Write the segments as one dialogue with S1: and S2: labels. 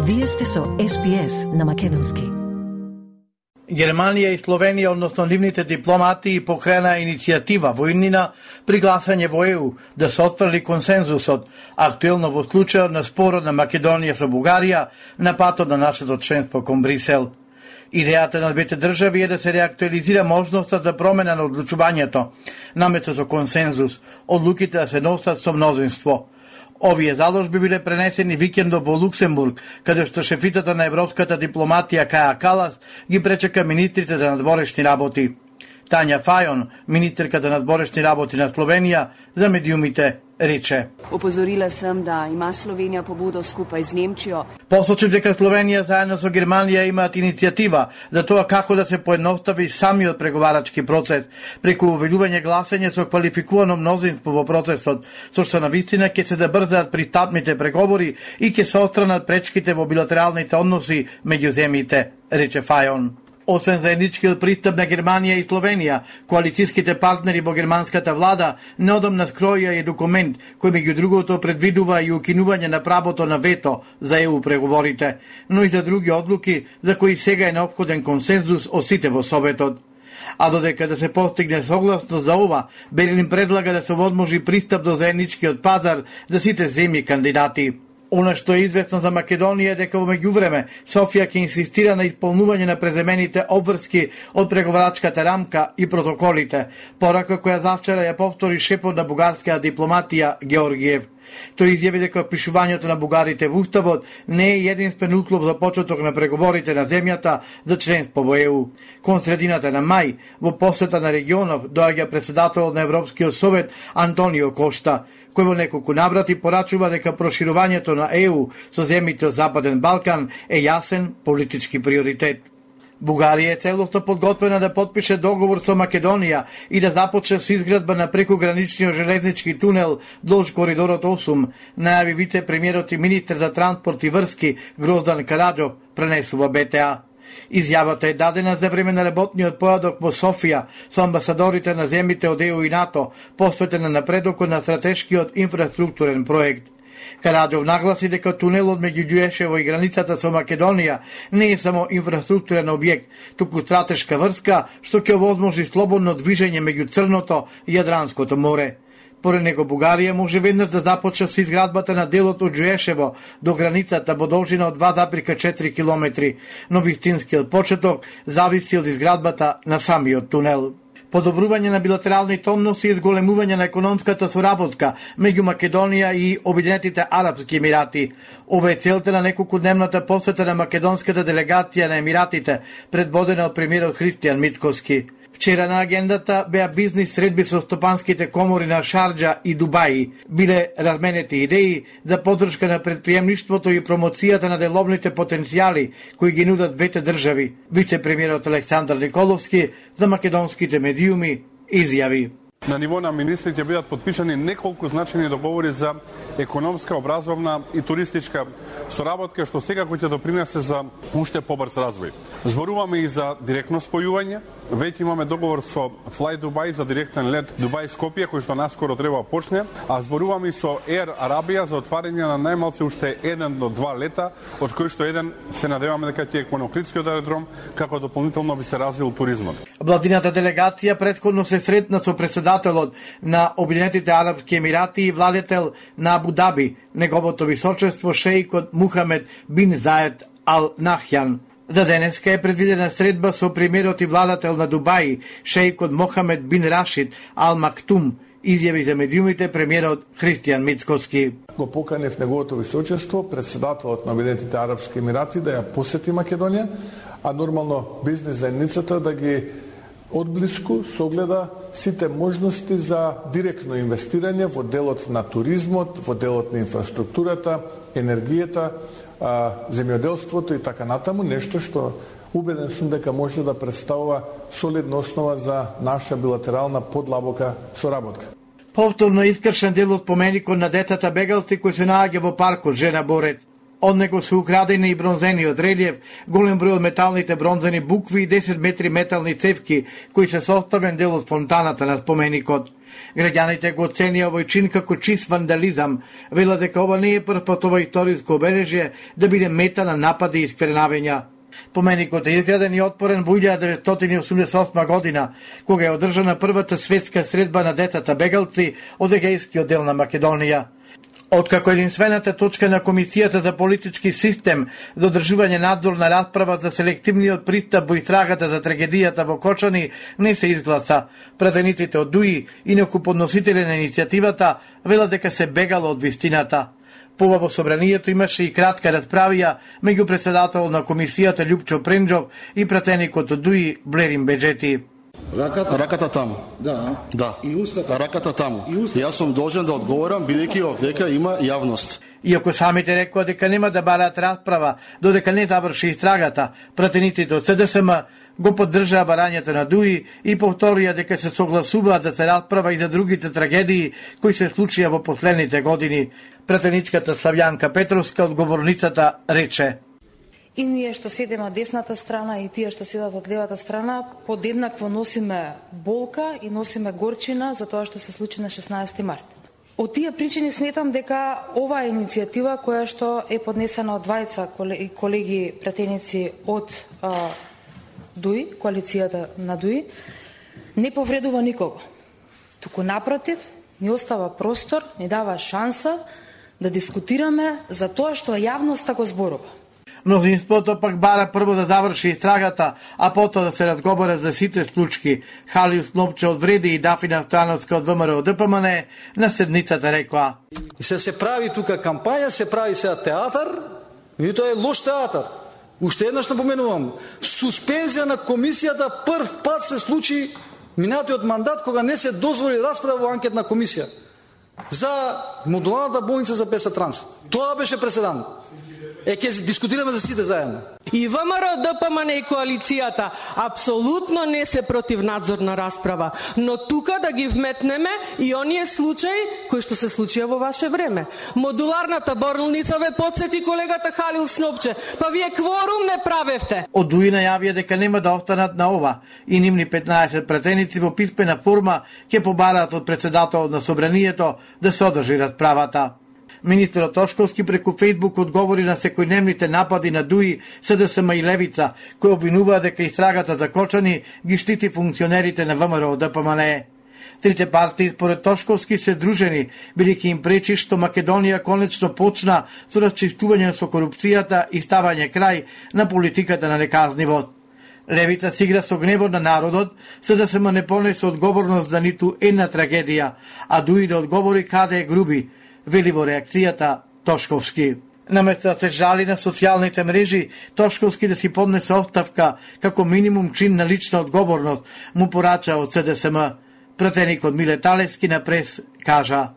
S1: Вие сте со SPS на македонски.
S2: Германија и Словенија, односно нивните дипломати, покрена иницијатива во иднина при гласање во ЕУ да се отфрли консензусот, актуелно во случајот на спорот на Македонија со Бугарија на патот на нашето членство кон Брисел. Идејата на двете држави е да се реактуализира можноста за промена на одлучувањето, наметото консензус, одлуките да се носат со мнозинство. Овие заложби биле пренесени викендов во Луксембург, каде што шефитата на европската дипломатија Каја Калас ги пречека министрите за надворешни работи. Тања Фајон, министерка за надворешни работи на Словенија, за медиумите рече:
S3: Опозорила сам да има Словенија побудо скупај с Немчијо.
S2: Посочи дека Словенија заедно со Германија имаат иницијатива за тоа како да се поедностави самиот преговарачки процес преку увелување гласање со квалификувано мнозинство во процесот, со што навистина ќе се забрзаат пристапните преговори и ќе се отстранат пречките во билатералните односи меѓу земјите, рече Фајон. Освен заедничкиот пристап на Германија и Словенија, коалицијските партнери во германската влада неодамна скроја и документ кој меѓу другото предвидува и укинување на правото на вето за ЕУ преговорите, но и за други одлуки за кои сега е неопходен консензус од сите во Советот. А додека да се постигне согласност за ова, Берлин предлага да се возможи пристап до заедничкиот пазар за сите земји кандидати. Она што е известно за Македонија е дека во меѓувреме Софија ќе инсистира на исполнување на преземените обврски од преговарачката рамка и протоколите, порака која завчера ја повтори шефот на бугарската дипломатија Георгиев. Тој изјави дека впишувањето на бугарите во уставот не е единствен услов за почеток на преговорите на земјата за членство во ЕУ. Кон средината на мај, во посета на регионов, доаѓа председателот на Европскиот совет Антонио Кошта, кој во неколку наврати порачува дека проширувањето на ЕУ со земјите од Западен Балкан е јасен политички приоритет. Бугарија е целосно подготвена да подпише договор со Македонија и да започне со изградба на прекограничниот железнички тунел долж коридорот 8, најави вице-премиерот и министер за транспорт и врски Гроздан Караджов, пренесува БТА. Изјавата е дадена за време на работниот појадок во Софија со амбасадорите на земјите од ЕУ и НАТО, посветен на напредокот на стратешкиот инфраструктурен проект. Караджов нагласи дека тунелот меѓу Ѓуешево и границата со Македонија не е само инфраструктурен објект, туку стратешка врска што ќе овозможи слободно движење меѓу Црното и Јадранското море. Поред него Бугарија може веднаш да започне со изградбата на делот од Ѓуешево до границата во должина од 2,4 километри, но вистинскиот почеток зависи од изградбата на самиот тунел. Подобрување на билатералните односи и зголемување на економската соработка меѓу Македонија и Обединетите Арапски Емирати. Ова е целта на неколкудневната посета на македонската делегација на Емиратите, предводена од премиерот Христијан Мицкоски. Вчера на агендата беа бизнис средби со стопанските комори на Шарџа и Дубаи. Биле разменети идеи за поддршка на предприемништвото и промоцијата на деловните потенцијали кои ги нудат двете држави. Вице-премиерот Александар Николовски за македонските медиуми изјави:
S4: На ниво на министри ќе бидат подпишани неколку значајни договори за економска, образовна и туристичка соработка, што секако ќе допринесе за уште побрз развој. Зборуваме и за директно спојување. Веќе имаме договор со Fly Dubai за директен лет Дубај-Скопје, кој што наскоро треба да почне, а зборуваме и со Air Arabia за отварање на најмалце уште 1 до 2 лета, од кои што еден се надеваме дека ќе е кон Охридскиот аеродром, како дополнително би се развил туризмот.
S2: Владината делегација претходно се сретна со председателот на Обединетите Арапски Емирати и владетел на Абу Даби, неговото височество шеикот Мухамед бин Заед Ал Нахјан. За денеска е предвидена средба со премиерот и владател на Дубај, шеикот Мохамед бин Рашид Ал Мактум, изјави за медиумите премиерот Христијан Мицкоски.
S5: Го поканев неговото височество, председателот на Обединетите Арапски Емирати, да ја посети Македонија, а нормално бизнес заедницата да ги одблиску согледа сите можности за директно инвестирање во делот на туризмот, во делот на инфраструктурата, енергијата, земјоделството и така натаму, нешто што убеден сум дека може да представува солидна основа за наша билатерална подлабока соработка.
S2: Повторно искршен дел од поменикот на децата бегалци кој се наоѓа во паркот Жена Борет. Од него се украдени и бронзениот релиев, голем број од металните бронзени букви и 10 метри метални цевки, кои се составен дел од фонтаната на споменикот. Граѓаните го оценија овој чин како чист вандализам. Велат дека ова не е прв пат ова историско обележје да биде мета на напади и искривенавања. Поменикот е изграден и отпорен во 1988 година, кога е одржана првата светска средба на децата бегалци од егејскиот дел на Македонија. Откако единствената точка на Комисијата за политички систем за одржување надзор на расправа за селективниот пристап во истрагата за трагедијата во Кочани не се изгласа, пратениците од ДУИ, инаку подносители на иницијативата, велат дека се бегало од вистината. Пова во собранието имаше и кратка расправија меѓу председател на комисијата Љупчо Пренџов и пратеникот од ДУИ Блерин Беџети.
S6: Раката таму. Да. И устата. Раката таму. Јас сум должен да одговорам бидејќи овдека има јавност.
S2: Иако самите рекоа дека нема да бараат расправа додека не заврши истрагата, пратениците од СДСМ го поддржаа барањето на ДУИ и повторија дека се согласуваат да се расправа и за другите трагедии кои се случија во последните години. Пратеничката Славјанка Петровска, одговорницата, рече:
S7: И ние што седеме од десната страна и тие што седат од левата страна подеднакво носиме болка и носиме горчина за тоа што се случи на 16 март. Од тие причини сметам дека ова е иницијатива која што е поднесена од двајца колеги пратеници од ДУИ, коалицијата на ДУИ, не повредува никого. Туку напротив, ни остава простор, ни дава шанса да дискутираме за тоа што јавноста го зборува.
S2: Мнозинството пак бара прво да заврши истрагата, а потоа да се разговара за сите случки. Халил Снопче од Вреди и Дафина Стојановска од ВМРО ДПМН на седницата рекоа:
S8: се прави тука кампања, се прави сега театар, и тоа е лош театар. Уште еднаш напоменувам, суспензија на комисијата прв пат се случи минатиот мандат кога не се дозволи расправа во анкетна комисија за модуларната болница за ПС Транс. Тоа беше преседан. Ќе дискутираме за сите заедно.
S9: И ВМРО ДПМН и коалицијата апсолутно не се против надзорна расправа, но тука да ги вметнеме и оние случаи кои што се случија во ваше време. Модуларната болница ве подсети колегата Халил Снопче, па вие кворум не правевте.
S2: Од ДУИ најавија дека нема да останат на ова и нивни 15 пратеници во писмена форма ќе побараат од председателот на собранието да се одржи расправата. Министерот Тошковски преку Фејсбук одговори на секојдневните напади на ДУИ, СДСМ и Левица, кои обвинуваа дека истрагата за Кочани ги штити функционерите на ВМРО ДПМН. Трите партии според Тошковски се дружени, бидејќи им пречи што Македонија конечно почна со расчистување со корупцијата и ставање крај на политиката на неказнивост. Левица си игра со гневот на народот, СДСМ не понесе одговорност за ниту една трагедија, а ДУИ да одговори каде е груби, вели во реакцијата Тошковски. Наместо да се жали на социјалните мрежи, Тошковски да си поднесе оставка како минимум чин на лична одговорност, му порача од СДСМ. Пратеникот Миле Талевски на прес кажа: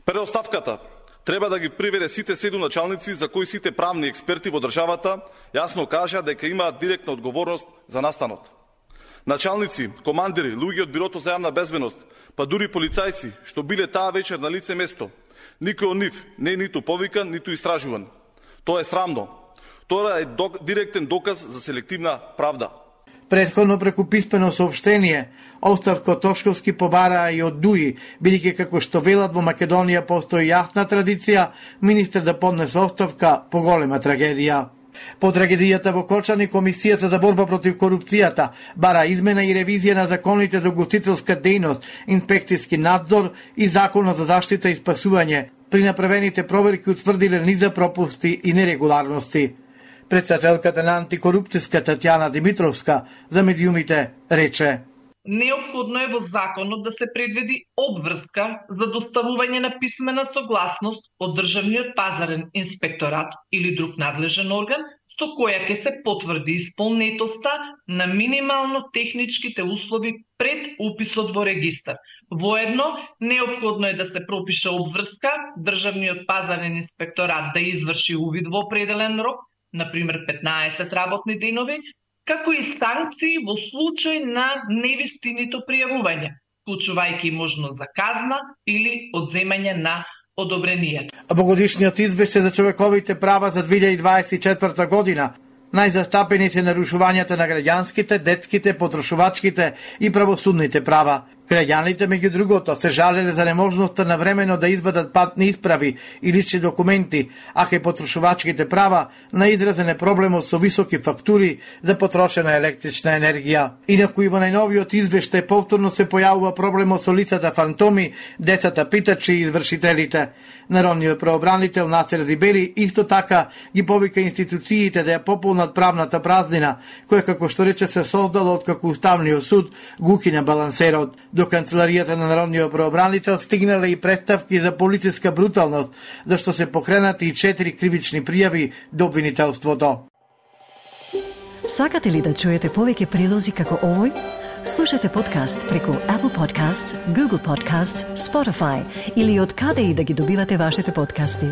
S10: Пред оставката треба да ги приведе сите 7 началници за кои сите правни експерти во државата јасно кажа дека имаат директна одговорност за настанот. Началници, командири, луѓе од Бирото за јавна безбедност, па дури полицајци што биле таа вечер на лице место, никој од нив не е ниту повикан, ниту истражуван. Тоа е срамно. Тоа е директен доказ за селективна правда.
S2: Претходно преку писмено соопштение, оставка од Тошковски побараа и од ДУИ, бидејќи како што велат во Македонија постои јасна традиција министер да поднесе оставка по голема трагедија. По трагедијата во Кочани, Комисијата за борба против корупцијата бара измена и ревизија на законите за угостителска дејност, инспекцијски надзор и законот за заштита и спасување. При направените проверки утврдиле низа пропусти и нерегуларности. Председателката на антикорупцијска Татјана Димитровска за медиумите рече:
S11: Неопходно е во законот да се предвиди обврска за доставување на писмена согласност од Државниот пазарен инспекторат или друг надлежен орган, со која ќе се потврди исполнетоста на минимално техничките услови пред уписот во регистар. Воедно, неопходно е да се пропише обврска Државниот пазарен инспекторат да изврши увид во определен рок, например 15 работни денови, како и санкции во случај на невистинито пријавување, вклучувајќи можност за казна или одземање на одобрението.
S2: Во годишниот извештај за човековите права за 2024 година најзастапени се нарушувањата на граѓанските, детските, потрошувачките и правосудните права. Граѓаните, меѓу другото, се жалеле за неможноста на времено да извадат патни исправи и лични документи, а кај потрошувачките права наизразен е проблемот со високи фактури за потрошена електрична енергија. Инаку и во најновиот извештај повторно се појавува проблемот со лицата фантоми, децата питачи и извршителите. Народниот правобранител Насер Зибери исто така ги повика институциите да ја пополнат правната празнина, која како што рече се создала од како Уставниот суд го укина балансерот. До канцеларијата на Народниот правобранител стигнале и представки за полициска бруталност, зашто се покренати и 4 кривични пријави до обвинителството.
S1: Сакате ли да чуете повеќе прилози како овој? Слушате подкаст преку Apple Podcasts, Google Podcasts, Spotify или од каде и да ги добивате вашите подкасти.